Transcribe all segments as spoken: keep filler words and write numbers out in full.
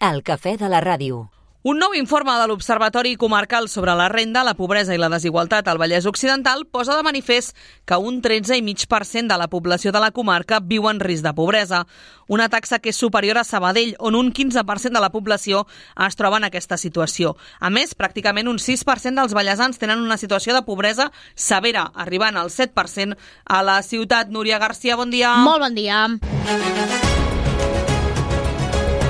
El cafè de la ràdio. Un nou informe de l'Observatori Comarcal sobre la renda, la pobresa i la desigualtat al Vallès Occidental posa de manifest que un tretze coma cinc per cent de la població de la comarca viu en risc de pobresa, una taxa que és superior a Sabadell, on un quinze per cent de la població es troba en aquesta situació. A més, pràcticament un sis per cent dels vallesans tenen una situació de pobresa severa, arribant al set per cent a la ciutat. Núria Garcia, bon dia. Molt bon dia.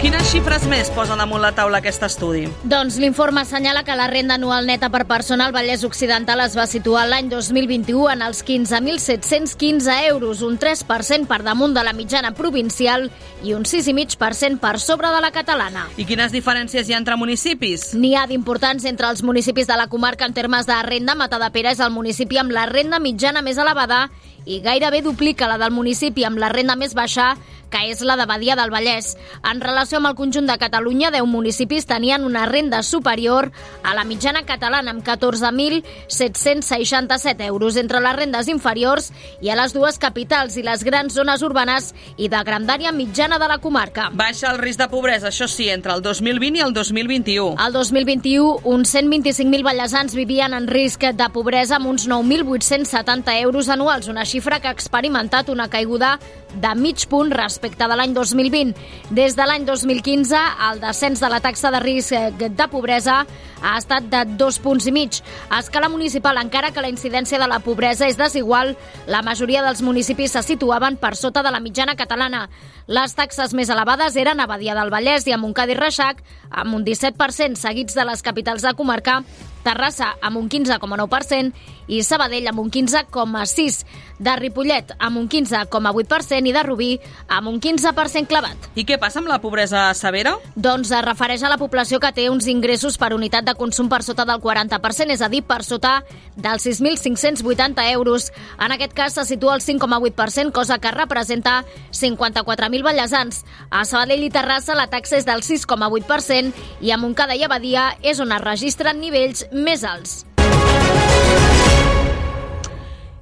Quines xifres més posa damunt la taula aquest estudi? Doncs l'informe assenyala que la renda anual neta per persona al Vallès Occidental es va situar l'any dos mil vint-i-u en els quinze mil set-cents quinze euros, un tres per cent per damunt de la mitjana provincial i un sis coma cinc per cent per sobre de la catalana. I quines diferències hi ha entre municipis? N'hi ha d'importants entre els municipis de la comarca en termes de renda. Matadepera és el municipi amb la renda mitjana més elevada i gairebé duplica la del municipi amb la renda més baixa, que és la de Badia del Vallès. En relació amb el conjunt de Catalunya, deu municipis tenien una renda superior a la mitjana catalana, amb catorze mil set-cents seixanta-set euros. Entre les rendes inferiors hi ha les dues capitals i les grans zones urbanes i de grandària mitjana de la comarca. Baixa el risc de pobresa, això sí, entre el dos mil vint i el dos mil vint-i-u. El dos mil vint-i-u, uns cent vint-i-cinc mil vallesans vivien en risc de pobresa amb uns nou mil vuit-cents setanta euros anuals, una xifra que ha experimentat una caiguda de mig punt respecte de l'any dos mil vint. Des de l'any dos mil quinze, el descens de la taxa de risc de pobresa ha estat de dos punts i mig. A escala municipal, encara que la incidència de la pobresa és desigual, la majoria dels municipis se situaven per sota de la mitjana catalana. Les taxes més elevades eren a Badia del Vallès i a Montcada i Reixac, amb un disset per cent, seguits de les capitals de comarca, Terrassa amb un quinze coma nou per cent i Sabadell amb un quinze coma sis per cent, de Ripollet amb un quinze coma vuit per cent i de Rubí amb un quinze per cent clavat. I què passa amb la pobresa severa? Doncs es refereix a la població que té uns ingressos per unitat de consum per sota del quaranta per cent, és a dir, per sota dels sis mil cinc-cents vuitanta euros. En aquest cas se situa al cinc coma vuit per cent, cosa que representa cinquanta-quatre mil vallesans. A Sabadell i Terrassa la taxa és del sis coma vuit per cent i a Montcada i a Badia és on es registren nivells més alts.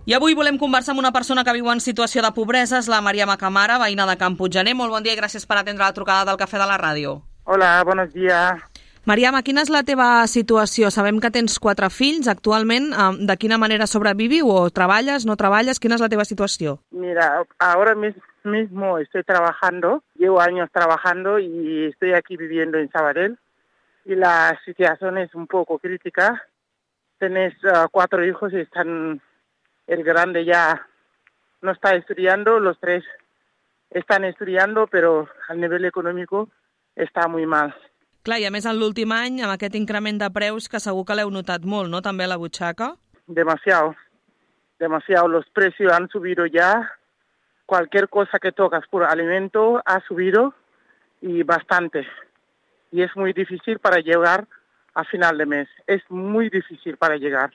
I avui volem conversar amb una persona que viu en situació de pobresa, és la Mariama Camara, veïna de Can Puiggener. Molt bon dia i gràcies per atendre la trucada del Cafè de la Ràdio. Hola, buenos días. Mariama, quina és la teva situació? Sabem que tens quatre fills. Actualment, de quina manera sobreviviu? O treballes, no treballes? Quina és la teva situació? Mira, ahora mismo estoy trabajando, llevo años trabajando y estoy aquí viviendo en Sabadell. Y la situación es un poco crítica. Tenés uh, cuatro hijos y están... El grande ya no está estudiando, los tres están estudiando, pero al nivel económico está muy mal. Clar, i a més en l'últim any, amb aquest increment de preus que segur que l'heu notat molt, no?, també a la butxaca? Demasiado, demasiado. Los precios han subido ya. Cualquier cosa que tocas por alimento ha subido y bastante. Y es muy difícil para llegar a final de mes. Es muy difícil para llegar.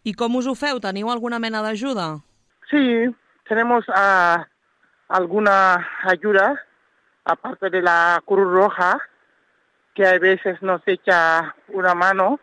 I com us ho feu? Teniu alguna mena d'ajuda? Sí, tenemos uh, alguna ayuda, aparte de la Cruz Roja, que a veces nos echa una mano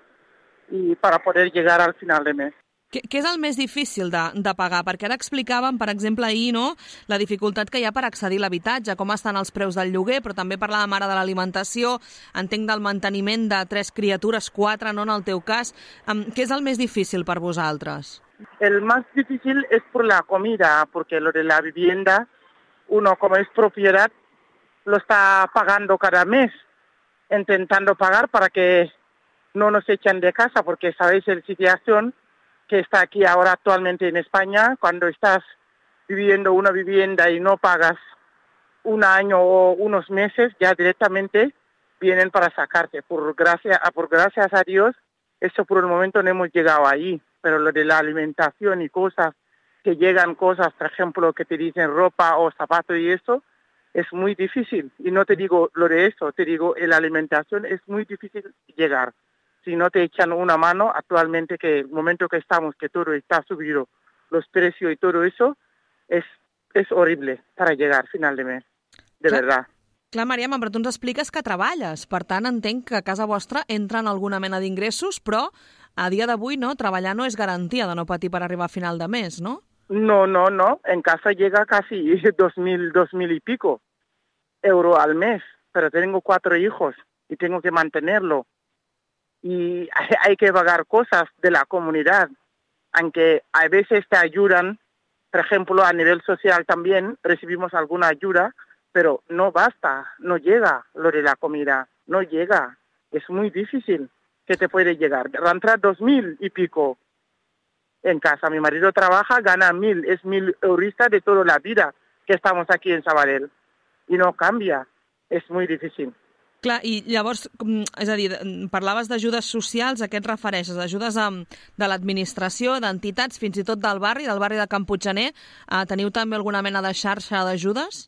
y para poder llegar al final de mes. Què, què és el més difícil de, de pagar? Perquè ara explicàvem, per exemple, ahir, no?, la dificultat que hi ha per accedir a l'habitatge, com estan els preus del lloguer, però també parlàvem ara de l'alimentació, entenc del manteniment de tres criatures, quatre, no en el teu cas. Um, què és el més difícil per vosaltres? El más difícil es por la comida, porque lo de la vivienda, uno como es propiedad, lo está pagando cada mes, intentando pagar para que no nos echen de casa, porque sabéis la situación que está aquí ahora actualmente en España. Cuando estás viviendo una vivienda y no pagas un año o unos meses, ya directamente vienen para sacarte. Por gracia, por gracias a Dios, eso por el momento no hemos llegado ahí, pero lo de la alimentación y cosas que llegan, cosas, por ejemplo, que te dicen ropa o zapatos y eso, es muy difícil. Y no te digo lo de eso, te digo, la alimentación es muy difícil llegar. Si no te echan una mano, actualmente que el momento que estamos, que todo está subido, los precios y todo eso, es, es horrible para llegar final de mes, de clar, verdad. Clar, Mariama, però tu ens expliques que treballes, per tant entenc que a casa vostra entren alguna mena d'ingressos, però a dia d'avui no, treballar no és garantia de no patir per arribar a final de mes, no? No, no, no, en casa llega casi dos mil, dos mil y pico euros al mes. pero tengo cuatro hijos y tengo que mantenerlo. Y hay que pagar cosas de la comunidad, aunque a veces te ayudan, por ejemplo, a nivel social también recibimos alguna ayuda, pero no basta, no llega lo de la comida, no llega. Es muy difícil que te puede llegar. Entra dos mil y pico en casa. Mi marido trabaja, gana mil, es mil eurista de toda la vida que estamos aquí en Sabadell. I no canvia, és molt difícil. Clar, i llavors, és a dir, parlaves d'ajudes socials, a què et refereixes? Ajudes de l'administració, d'entitats, fins i tot del barri, del barri de Can Puiggener? Teniu també alguna mena de xarxa d'ajudes?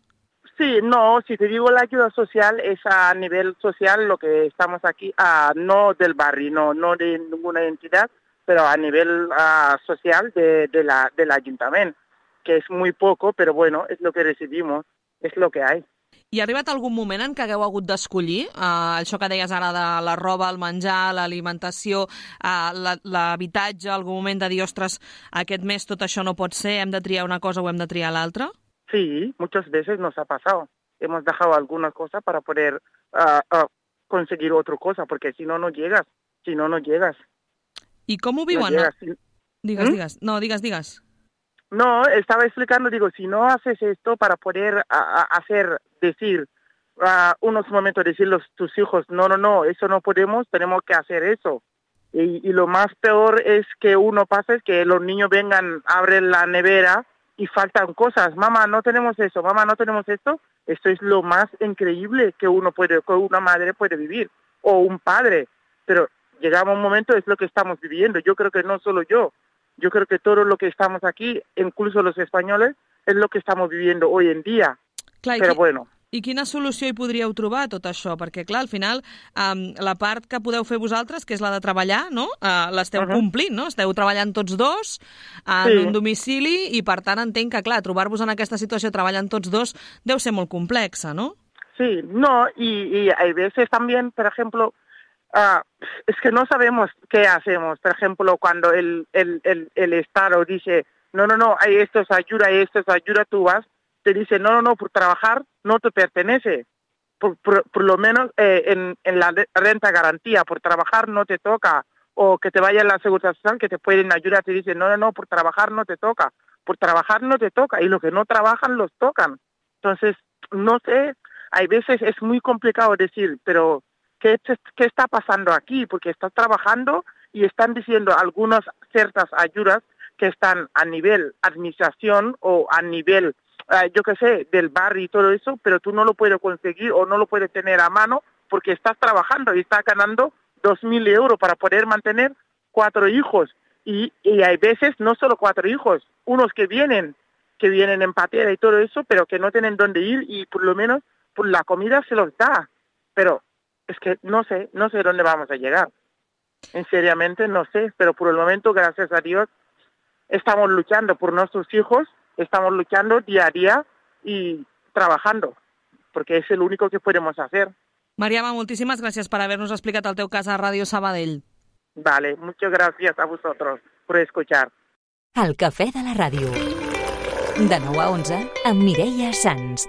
Sí, no, si te digo la ayuda social es a nivel social lo que estamos aquí, uh, no del barrio, no, no de ninguna entidad, pero a nivel uh, social de, de la, del ayuntamiento, que es muy poco, pero bueno, es lo que recibimos, es lo que hay. I ha arribat algun moment en què hagueu hagut d'escollir uh, això que deies ara de la roba, el menjar, l'alimentació, uh, l'habitatge, algun moment de dir, ostres, aquest mes tot això no pot ser, hem de triar una cosa o hem de triar l'altra? Sí, muchas veces nos ha pasado. Hemos dejado alguna cosa para poder uh, uh, conseguir otra cosa, porque si no, no llegas. Si no, no llegas. I com ho viuen? No si... Digues, ¿Mm? digues. No, digues, digues. No, estaba explicando, digo, si no haces esto para poder a, a hacer, decir, uh, unos momentos decirles a tus hijos, no, no, no, eso no podemos, tenemos que hacer eso. Y, y lo más peor es que uno pasa, es que los niños vengan, abren la nevera y faltan cosas. Mamá, no tenemos eso, mamá, no tenemos esto. Esto es lo más increíble que uno puede, que una madre puede vivir, o un padre. Pero llegamos a un momento, es lo que estamos viviendo. Yo creo que no solo yo, yo creo que todo lo que estamos aquí, incluso los españoles, es lo que estamos viviendo hoy en día. Clar, Però bueno. I quina solució hi podríeu trobar a tot això? Perquè, clar, al final, um, la part que podeu fer vosaltres, que és la de treballar, no? Uh, l'esteu uh -huh. complint, no? Esteu treballant tots dos en sí. un domicili i, per tant, entenc que, clar, trobar-vos en aquesta situació treballant tots dos deu ser molt complexa, no? Sí, no, y, y hay veces también, por ejemplo, uh, es que no sabemos qué hacemos. Por ejemplo, cuando el, el, el, el Estado dice, no, no, no, hay esto es ayuda, hay esto es ayuda, tú vas, te dice, no, no, no, por trabajar no te pertenece. Por, por, por lo menos eh, en, en la renta garantía, por trabajar no te toca. O que te vaya a la seguridad social, que te pueden ayudar, te dicen, no, no, no, por trabajar no te toca. Por trabajar no te toca. Y los que no trabajan los tocan. Entonces, no sé, hay veces es muy complicado decir, pero ¿qué, qué está pasando aquí? Porque estás trabajando y están diciendo algunas ciertas ayudas que están a nivel administración o a nivel Uh, yo qué sé, del barrio y todo eso, pero tú no lo puedes conseguir o no lo puedes tener a mano porque estás trabajando y estás ganando dos mil euros para poder mantener cuatro hijos. Y, y hay veces no solo cuatro hijos, unos que vienen, que vienen en patera y todo eso, pero que no tienen dónde ir y por lo menos por la comida se los da. Pero es que no sé, no sé dónde vamos a llegar. En seriamente no sé, pero por el momento, gracias a Dios, estamos luchando por nuestros hijos. Estamos luchando día a día y trabajando, porque es el único que podemos hacer. Mariama, moltíssimes gràcies per haver-nos explicat el teu cas a Ràdio Sabadell. Vale, muchas gracias a vosotros por escuchar. El cafè de la ràdio. De nou a onze, amb Mireia Sans.